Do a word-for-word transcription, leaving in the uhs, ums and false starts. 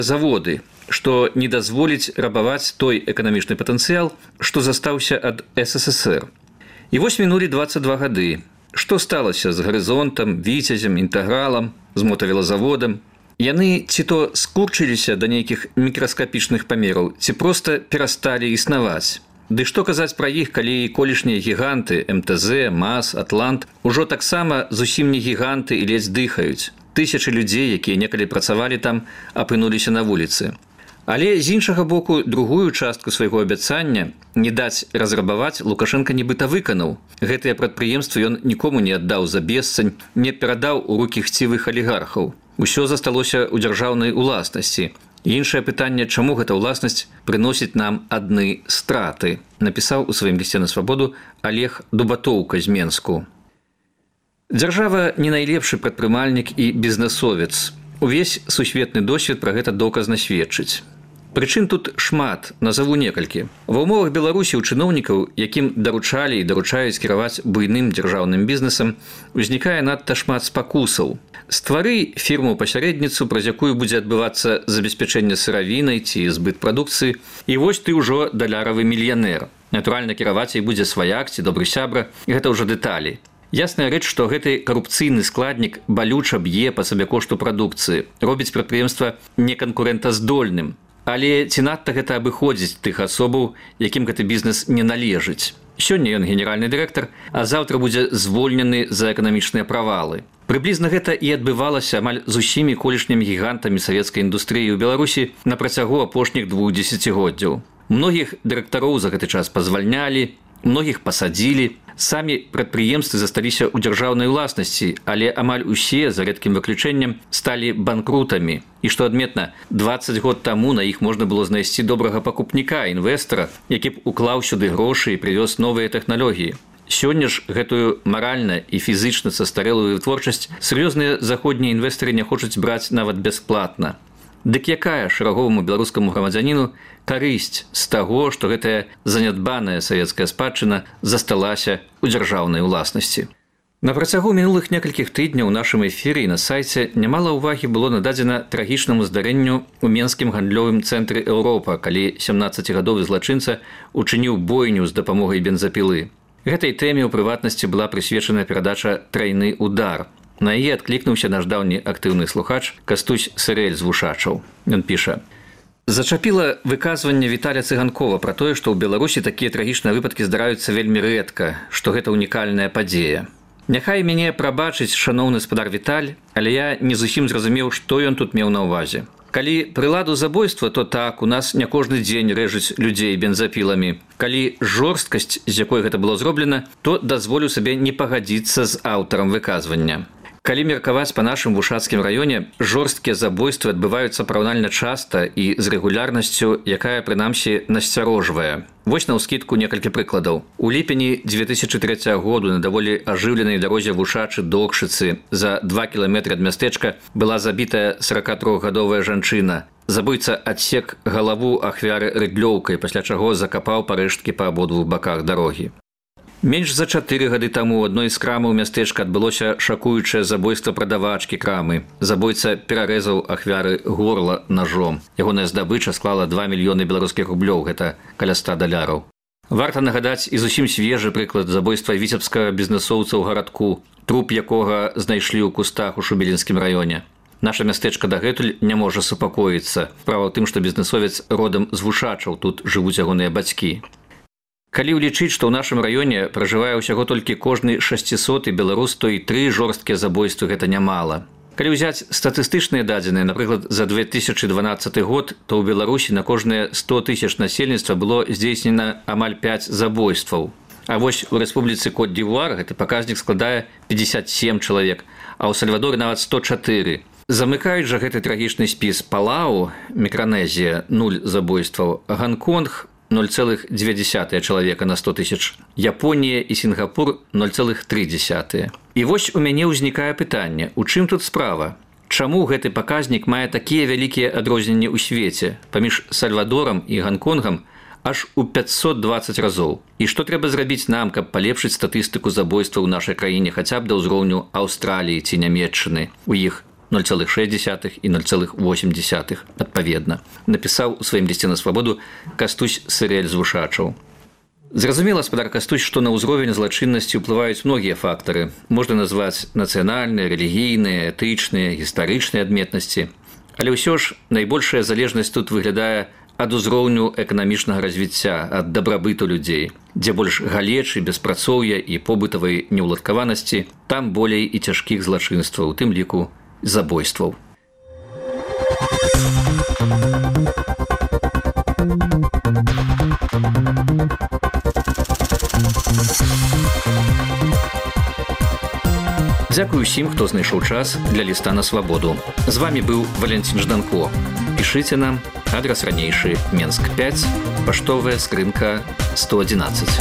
заводы, што не дазволіць рабаваць той эканамічны патэнцыял, што застаўся ад эс эс эс эр. І вось мінулі дваццаць два гады. Што сталася з гарызонтам, віцязем, інтэгралам, з мотавелазаводам? Яны ці то скурчыліся да нейкіх мікраскапічных памераў, ці проста перасталі існаваць. Ды што казаць пра іх, калі колішнія гіганты эм тэ зэ, МАЗ, Атлант ужо таксама зусім не гіганты і ледзь дыхаюць. Тысячы людзей, якія некалі працавалі там, апынуліся на вуліцы. Але з іншага боку, другую частку свайго абяцання не даць разрабаваць Лукашенка нібыта выканаў. Гэтыя прадпрыемствы ён нікому не аддаў за бесцань, не перадаў у рукі хцівых алігархаў. Усё засталося ў дзяржаўнай уласнасці. Іншае пытанне, чаму гэта ўласнасць прыносіць нам адны страты, напісаў у сваім лісце на свабоду Олег Дубатоўка з Менску. Дзяржава не найлепшы прадпрымальнік і бізнесовец. Увесь сусветны досвед пра гэта доказна сведчыць. Прычын тут шмат, назаву некалькі. Ва ўмовах Беларусі ў чыноўнікаў, якім даручалі і даручаюць кіраваць буйным дзяржаўным бізнесам, узнікае надта шмат спакусаў. Ствары фірму-пасярэдніцу, праз якую будзе адбывацца забеспячэнне сыравінай ці збыт прадукцыі, і вось ты ўжо даляравы мільянер. Натуральна, кіраваць ей будзе сваяк ці добры сябра, гэта ўжо дэталі. Ясная рэч, што гэты карупцыйны складнік балюча б'е па сабекошту прадукцыі, робіць прадпрыемства неканкурэнтаздольным. Але ці надта гэта абыходзіць тых асобаў, якім гэты бізнес не належыць. Сёння ён генеральны дырэктар, а заўтра будзе звольнены за эканамічныя правалы. Прыблізна гэта і адбывалася амаль з усімі колішнімі гігантамі савецкай індустрыі ў Беларусі на працягу апошніх двух дзесяцігоддзяў. Многіх дырэктароў за гэты час пазвальнялі, многіх пасадзілі. Самі прадпрыемствы засталіся ў дзяржаўнай уласнасці, але амаль усе, за рэдкім выключэннем, сталі банкрутамі. І што адметна, дваццаць год таму на іх можна было знайсці добрага пакупніка, інвестара, які б уклаў сюды грошы і прывёз новыя тэхналогіі. Сёння ж гэтую маральна і фізычна састарэлую вытворчасць сур'ёзныя заходнія інвестары не хочуць браць нават бясплатна. Дык якая шараговаму беларускаму грамадзяніну карысць з таго, што гэтая занядбаная савецкая спадчына засталася ў дзяржаўнай уласнасці? На працягу мінулых некалькіх тыдняў у нашым эфіры і на сайце нямала ўвагі было нададзена трагічнаму здарэнню ў менскім гандлёвым цэнтры Еўропа, калі сямнаццацігадовы злачынца учыніў бойню з дапамогай бензапілы. Гэтай тэме ў прыватнасці была прысвечана перадача «Трайны удар». На яе адклікнуўся наш даўні актыўны слухач Кастусь Сырэль з Вушачаў. Ён піша: «Зачапіла выказванне Віталя Цыганкова пра тое, што ў Беларусі такія трагічныя выпадкі здараюцца вельмі рэдка, што гэта унікальная падзея. Няхай мяне прабачыць шаноўны спадар Віталь, але я не зусім зразумеў, што ён тут меў на ўвазе. Калі прыладу забойства, то так, у нас не кожны дзень рэжуць людзей бензапіламі. Калі жорсткасць, з якой гэта было зроблена, то дазволю сабе не пагадзіцца з аўтарам выказвання. Калі меркаваць па нашым вушацкім раёне, жорсткія забойствы адбываюцца параўнальна часта і з рэгулярнасцю, якая, прынамсі, насцярожвае. Вось наўскідку некалькі прыкладаў. У ліпені дзве тысячы трэцяга году на даволі ажыўленай дарозе Вушачы-Докшыцы за два кіламетры ад мястэчка была забітая саракатрохгадовая жанчына. Забойца адсек галаву ахвяры рыдлёўкай, пасля чаго закапаў парэшткі па абодвух баках дарогі. Менш за чатыры гады таму ў адной з крамаў мястэчка адбылося шакуючае забойства прадавачкі крамы. Забойца перарэзаў ахвяры горла ножом. Ягоная здабыча склала два мільёны беларускіх рублёў, гэта каля ста даляраў. Варта нагадаць і зусім свежы прыклад забойства віцебскага бізнесоўца ў гарадку, труп якога знайшлі ў кустах у Шубелінскім раёне. Наша мястэчка дагэтуль не можа супакоіцца. Справа ў тым, што бізнесовец родам з Вушачаў, тут жывуць ягоныя бацькі. Калі ўлічыць, што ў нашым раёне пражывае ўсяго толькі кожны шасцісоты беларус, то і тры жорсткія забойствы гэта нямала. Калі ўзяць статыстычныя дадзеныя, напрыклад, за две тысячы дванаццаты год, то ў Беларусі на кожныя сто тысяч насельніцтва было здзейснена амаль пяць забойстваў. А вось у Рэспубліцы Кот-д'Івуар гэты паказнік складае пятьдесят семь чалавек, а ў Сальвадоры нават сто чатыры. Замыкаюць жа гэты трагічны спіс Палау, Мікранезія – нуль забойстваў, Гонконг – ноль целых две десятых чалавека на сто тысяч, Японія і Сінгапур – ноль целых тры десятых. І вось у мяне ўзнікае пытанне, у чым тут справа? Чаму гэты паказнік мае такія вялікія адрозненні ў свеце паміж Сальвадорам і Гонконгам аж у пятьсот двадцать разоў? І што трэба зрабіць нам, каб палепшыць статыстыку забойства ў нашай краіне хаця б да ўзроўню Аўстраліі ці Нямецчыны? У іх ноль цэлых шэсць дзесятых і ноль цэлых восемь дзесятых адпаведна. Напісаў у сваім лісце на свабоду Кастусь Сырэль з Вушачаў. Зразумела, спадар Кастусь, што на ўзровень злачыннасці ўплываюць многія фактары. Можна назваць нацыянальныя, рэлігійныя, этычныя, гістарычныя адметнасці. Але ўсё ж найбольшая залежнасць тут выглядае ад узроўню эканамічнага развіцця, ад дабрабыту людзей. Дзе больш галечы, беспрацоўя і побытавай неўладкаванасці, там болей і цяжкіх злачынстваў, у тым ліку забойстваў. Дзякую усім, хто знайшоў час для ліста на свабоду. З вами быў Валянцін Жданко. Пішыце нам, адрас ранейшы Менск пяць, паштовая скрынка сто адзінаццаць.